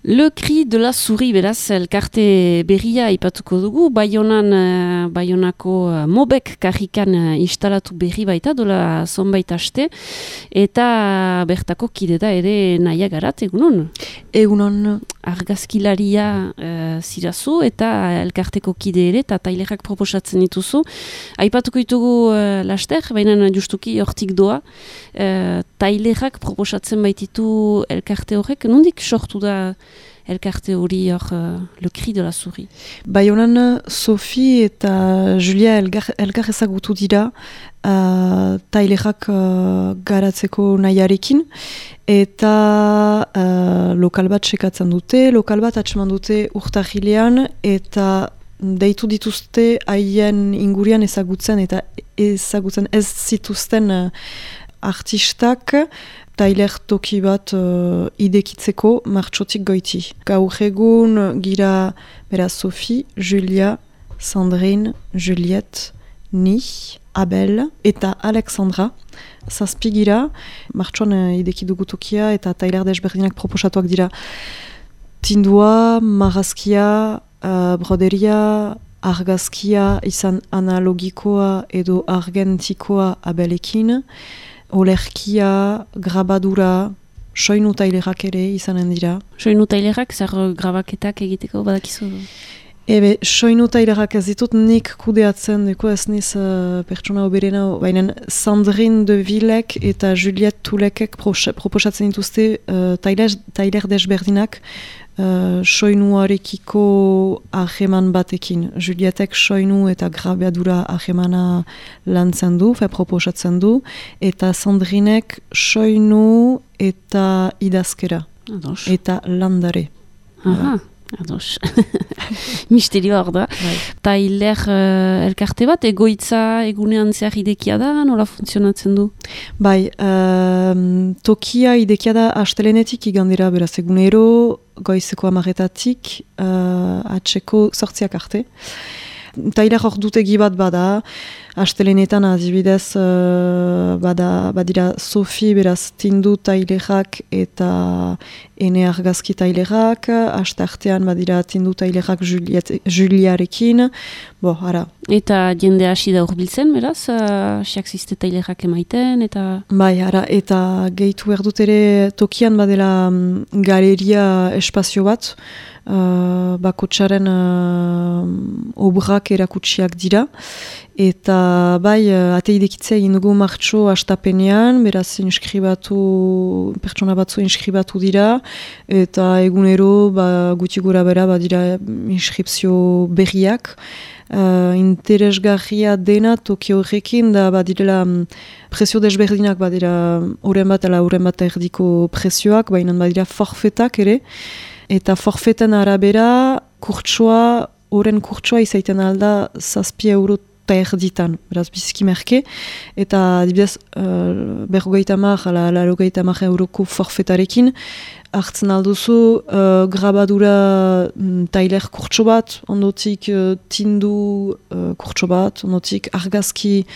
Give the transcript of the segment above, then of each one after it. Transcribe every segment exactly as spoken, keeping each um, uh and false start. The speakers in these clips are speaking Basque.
Le Cri de la Souris, beraz, elkarte berria ipatuko dugu, Baionan, uh, Baionako uh, Mobek karrikan uh, instalatu berri baita, dola zonbait aste, eta bertako kide da ere naia garat, egunon? Egunon. Argazkilaria uh, zirazu, eta elkarteko kide ere, eta tailerak proposatzen dituzu. Aipatuko ditugu uh, laster, baina justuki hortik doa, uh, tailerak proposatzen baititu elkarte horrek, nondik sortu da elkarte hori hor, uh, Le Cri de la Souris? Baionan, Sophie eta Julia elgar, elgar ezagutu dira uh, tailerak uh, garatzeko nahiarekin, eta uh, lokal bat sekatzen dute, lokal bat atseman dute urtarrilean, eta deitu dituzte haien ingurian ezagutzen eta ezagutzen ez zituzten uh, artistak, tailer toki bat uh, idekitzeko martxotik goiti. Gaur egun gira bera Sophie, Julia, Sandrine, Juliette, ni, Abel eta Alexandra. Zazpi gira, martxoan uh, idekidugu tokia eta tailer desberdinak proposatuak dira. Tindua, marrazkia, uh, broderia, argazkia, izan analogikoa edo argentikoa Abelekin, olerkia, grabadura, soinu tailerak ere izanen dira. Soinu tailerak, zer grabaketak egiteko badakizu? Ebe, soinu tailerak ez ditut nik kudeatzen, deko ez niz uh, pertsona oberena, baina Sandrine de Villek eta Juliette Tulekek proposatzen dituzte uh, tailer, tailer desberdinak, Uh, soinuarekiko aheman batekin. Julietek soinu eta grabadura ahemana lantzen du, fe proposatzen du, eta Sandrinek soinu eta idazkera. Ados. Eta landare. Aha, ados. Misterio hor da. Bai. Tailer uh, elkarte bat, egoitza egunean zehar idekia da, nola funtzionatzen du? Bai, um, tokia idekia da astelenetik igandera, beraz egunero, goizeko amaretatik, uh, atxeko sortziak arte. Tailer hor dutegi bat bada, astelenetan adibidez uh, bada, badira Sophie beraz tindu tailerak eta ene argazki tailerak, aste artean badira tindu tailerak Juliarekin, bo, ara. Eta jende hasi da urbiltzen, beraz, hasiak uh, ziste tailerak emaiten, eta... Bai, ara, eta gehitu erdut ere tokian badela um, galeria espazio bat, Uh, bakotxaren uh, obrak erakutsiak dira, eta bai, uh, ate idekitzea egin dugu martxo astapenean, beraz inskribatu, pertsona batzu inskribatu dira, eta egunero ba, guti gura bera badira inskripzio berriak. Uh, interesgarria dena toki horrekin da badirela um, prezio desberdinak badira horren bat ala horren bat erdiko prezioak, baina badira forfetak ere, eta forfeten arabera kurtsoa, horren kurtsoa izaiten alda zazpi euro eta erditan, beraz biziki merke, eta adibidez uh, berrogeita mar, ala larogeita mar euroko forfetarekin, hartzen alduzu uh, grabadura mm, tailer kurtso bat, ondotik uh, tindu uh, kurtso bat, ondotik argazki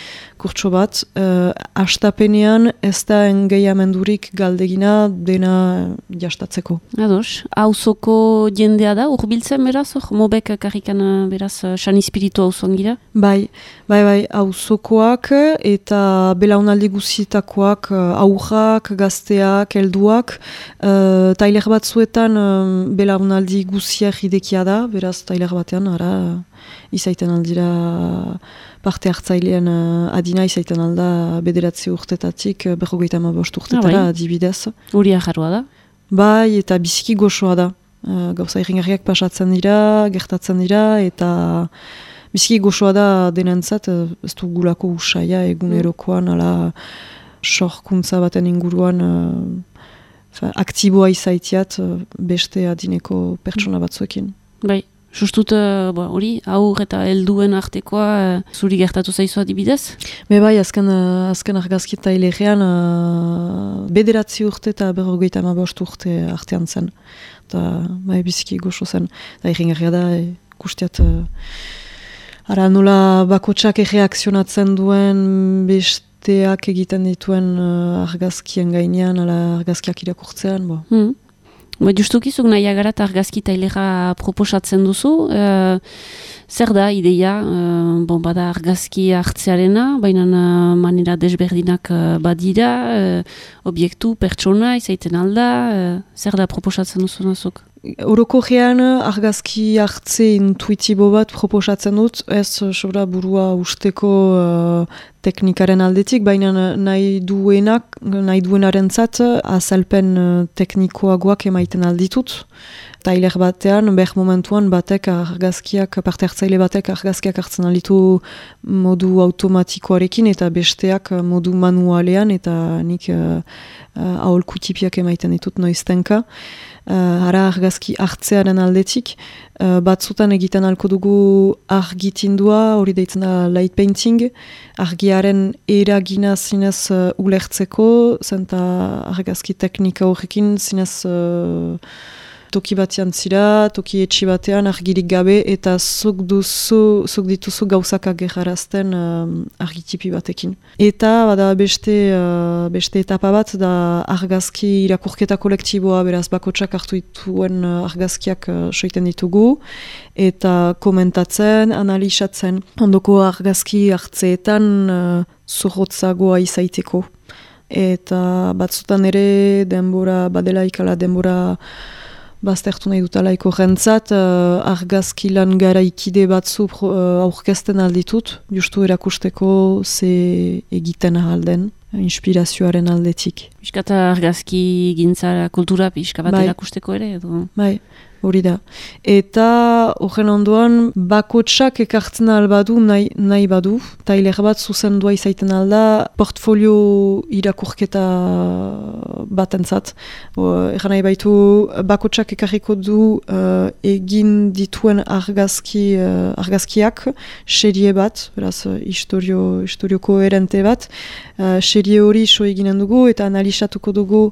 kurtso bat, uh, astapenean ez da engeiamendurik galdegina dena jastatzeko. Ados, auzoko jendea da, urbiltzen beraz, hor, Mobek karrikan beraz, san espiritu auzon gira? Bai, bai, bai, auzokoak eta belaunaldi guzietakoak, aurrak, gazteak, helduak, uh, tailer batzuetan um, belaunaldi guziak idekia da, beraz tailer batean, ara, izaiten aldira parte hartzailean uh, adina izaiten alda bederatzi urtetatik, berrogeita hamabost urtetara ah, adibidez. Hori ajarroa da? Bai, eta biziki goxoa da. Uh, gauza irringarriak pasatzen dira, gertatzen dira, eta biziki goxoa da denentzat, ez du gulako usaia egunerokoan, ala sorkuntza baten inguruan uh, aktiboa izaitiat uh, beste adineko pertsona batzuekin. Bai. Justut, hori, uh, aur eta helduen artekoa uh, zuri gertatu zaizu adibidez? Be bai, azken, uh, azken argazki tailerean uh, bederatzi urte eta berrogeita hamabost urte artean zen. Eta bai, biziki goxo zen. Da irringarria da, ikustiat uh, ara nola bakotsak erreakzionatzen duen besteak egiten dituen uh, argazkien gainean, ala argazkiak irakurtzean, bo. Hmm. Ba, justukizuk nahi agarat argazki tailera proposatzen duzu, uh, zer da ideia, uh, bon, bada argazki hartzearena, baina uh, manera desberdinak uh, badira, uh, obiektu, pertsona, izaiten alda, uh, zer da proposatzen duzu nazuk? Orokorrean argazki hartze intuitibo bat proposatzen dut, ez sobra burua usteko uh, teknikaren aldetik, baina nahi duenak, nahi duenarentzat azalpen uh, teknikoagoak emaiten alditut. Tailer batean, ber momentuan batek argazkiak, parte hartzaile batek argazkiak hartzen alditu modu automatikoarekin eta besteak modu manualean eta nik uh, uh, aholkutipiak emaiten ditut noiztenka. Uh, hara argazki hartzearen aldetik, uh, batzutan egiten alko dugu argitindua, hori deitzen da light painting, argiaren eragina zinez uh, ulertzeko, zenta argazki teknika horrekin zinez uh, toki batean zira, toki etxi batean argirik gabe, eta zuk duzu, zuk dituzu gauzak agerrarazten uh, argitipi batekin. Eta bada beste, uh, beste etapa bat da argazki irakurketa kolektiboa, beraz bakotsak hartu dituen uh, argazkiak uh, soiten ditugu, eta komentatzen, analizatzen, ondoko argazki hartzeetan uh, zorrotzagoa izaiteko. Eta batzutan ere denbora, badela ikala denbora baztertu nahi dutalaiko jentzat, uh, argazki lan garaikide batzu uh, aurkezten alditut, justu erakusteko ze egiten ahalden, inspirazioaren aldetik. Piskata argazki gintzara kultura pixka bat bai. Erakusteko ere, edo? Bai, hori da. Eta horren ondoan, bakotsak ekartzen albadu nahi, nahi badu, tailer bat zuzendua izaiten alda, portfolio irakurketa batentzat. Egan nahi baitu, bakotsak ekarriko du uh, egin dituen argazki, uh, argazkiak, serie bat, beraz, historio, historio koherente bat, uh, serie hori so eginen dugu, eta analizatuko dugu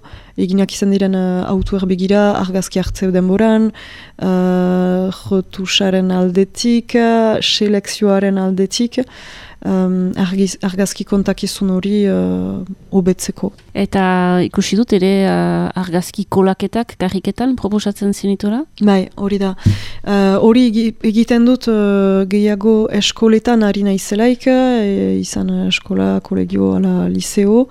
eginak izan diren uh, autuer begira, argazki hartzeu denboran, uh, jotusaren aldetik, uh, selekzioaren aldetik, um, argiz, argazki kontakizun hori uh, hobetzeko. Eta ikusi dut ere uh, argazki kolaketak, karriketan proposatzen zenitora? Bai, hori da. Uh, hori egiten dut uh, gehiago eskoletan ari naizelaik, e, izan eskola, kolegio, ala liceo,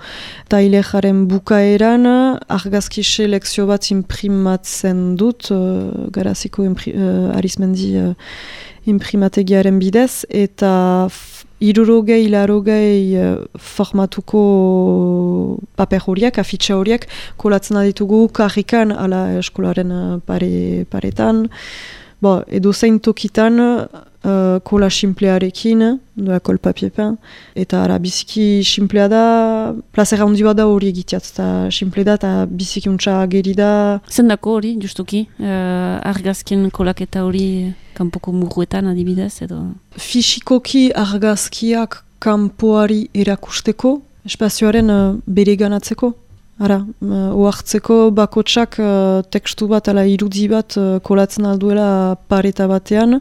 tailejaren bukaeran argazki selekzio bat imprimatzen dut, uh, garaziko impri, uh, arizmendi uh, imprimategiaren bidez, eta hirurogei, larogei uh, formatuko paper horiek, afitxa horiek, kolatzen aditugu karrikan, ala eskolaren uh, pare, paretan, bo, edo zein tokitan, uh, kola simplearekin, doa kol papiepen, eta ara biziki simplea da, plazera handi bat da hori egiteat, eta simple da, eta biziki untsa ageri da. Zendako hori, justuki, uh, argazkien kolaketa hori kanpoko muruetan adibidez, edo? Fisikoki argazkiak kanpoari erakusteko, espazioaren uh, bere ganatzeko. Ara, uh, oartzeko bakotsak uh, tekstu bat ala irudi bat uh, kolatzen alduela pareta batean,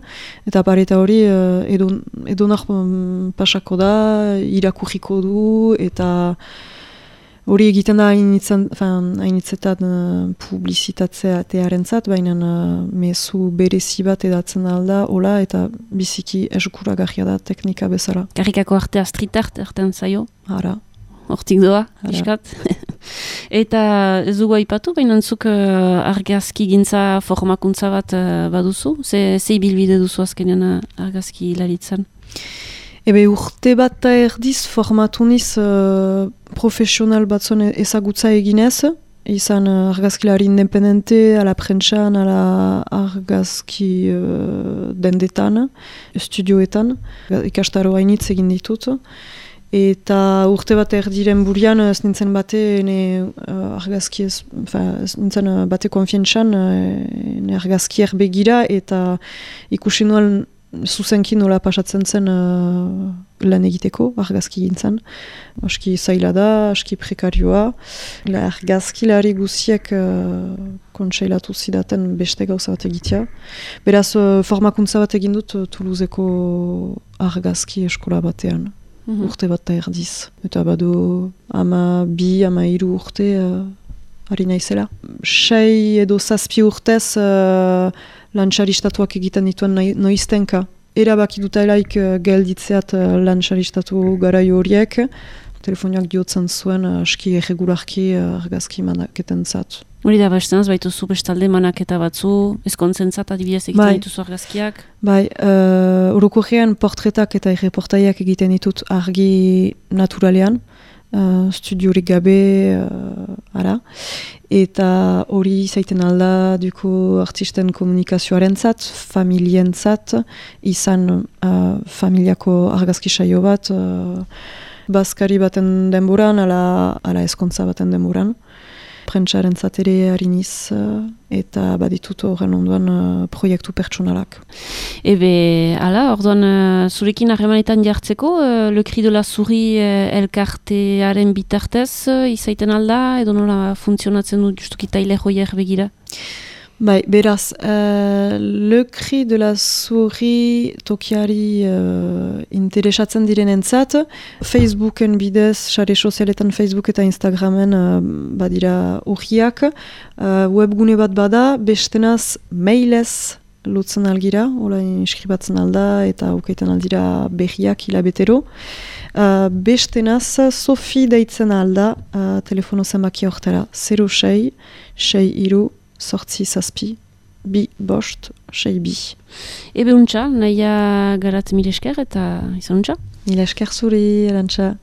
eta pareta hori uh, edo, edonak um, pasako da, irakurriko du, eta hori egiten da hainitzetan uh, publizitatzea zat, baina uh, mezu berezi bat edatzen alda, hola, eta biziki eskuragarria da teknika bezala. Karrikako artea street art erten zaio? Ara. Hortik doa, piskat. Eta ez dugu aipatu, baina zuk uh, argazki gintza formakuntza bat uh, baduzu? Ze, ze ibilbide duzu azkenean argazki hilaritzen? Ebe urte bat eta erdiz formatu niz uh, profesional batzuen ezagutza eginez, izan uh, argazkilari independente, ala prentsan, ala argazki uh, dendetan, studioetan, ikastaro hainitz egin ditut. Eta urte bat erdiren burian, ez nintzen bate, ne uh, argazki ez, ez nintzen uh, bate konfientzan, uh, ne argazkier begira, eta ikusi nuen zuzenki nola pasatzen zen uh, lan egiteko, argazki gintzen. Aski zaila da, aski prekarioa. La argazkilari guziek uh, kontseilatu zidaten beste gauza bat egitea. Beraz, uh, formakuntza bat egin dut uh, Toulouseko argazki eskola batean. Mm-hmm. Urte bat da erdiz. Eta badu ama bi, ama hiru urte uh, ari naizela. Sei edo zazpi urtez uh, lantxaristatuak egiten dituen noiztenka. Erabaki dutelaik uh, gelditzeat uh, lantxaristatu garai horiek, telefoniak diotzen zuen uh, aski erregularki uh, argazki manaketen zat. Hori da, bastenaz, baituzu bestalde manaketa batzu, ezkontzentzat adibidez egiten bai. Dituzu argazkiak? Bai, uh, orokorrean portretak eta erreportaiak egiten ditut argi naturalean, uh, studiorik gabe, uh, ara. Eta hori zaiten alda duko artisten komunikazioaren zat, familien zat, izan uh, familiako argazki saio bat, uh, bazkari baten denboran, ala, ala eskontza baten denboran. Prentsaren zatere hariniz uh, eta baditut horren onduan uh, proiektu pertsonalak. Ebe, ala, orduan uh, zurekin harremanetan jartzeko, uh, Le Cri de la Souris uh, elkartearen bitartez uh, izaiten alda, edo nola funtzionatzen du justuki taile joier begira? Bai, beraz, uh, Le Cri de la Souris tokiari uh, interesatzen direnentzat, Facebooken bidez, sare sozialetan Facebook eta Instagramen uh, badira urriak, uh, webgune bat bada, bestenaz mailez lotzen algira, hola inskribatzen alda eta ukaiten aldira berriak hilabetero. Uh, bestenaz, Sofi deitzen alda, uh, telefono zenbaki hortara, zero sei, sei iru, sortzi zazpi, bi bost, sei bi. Ebe untxa, nahia garat mil esker eta izan untxa? Mil esker zuri, Arantxa.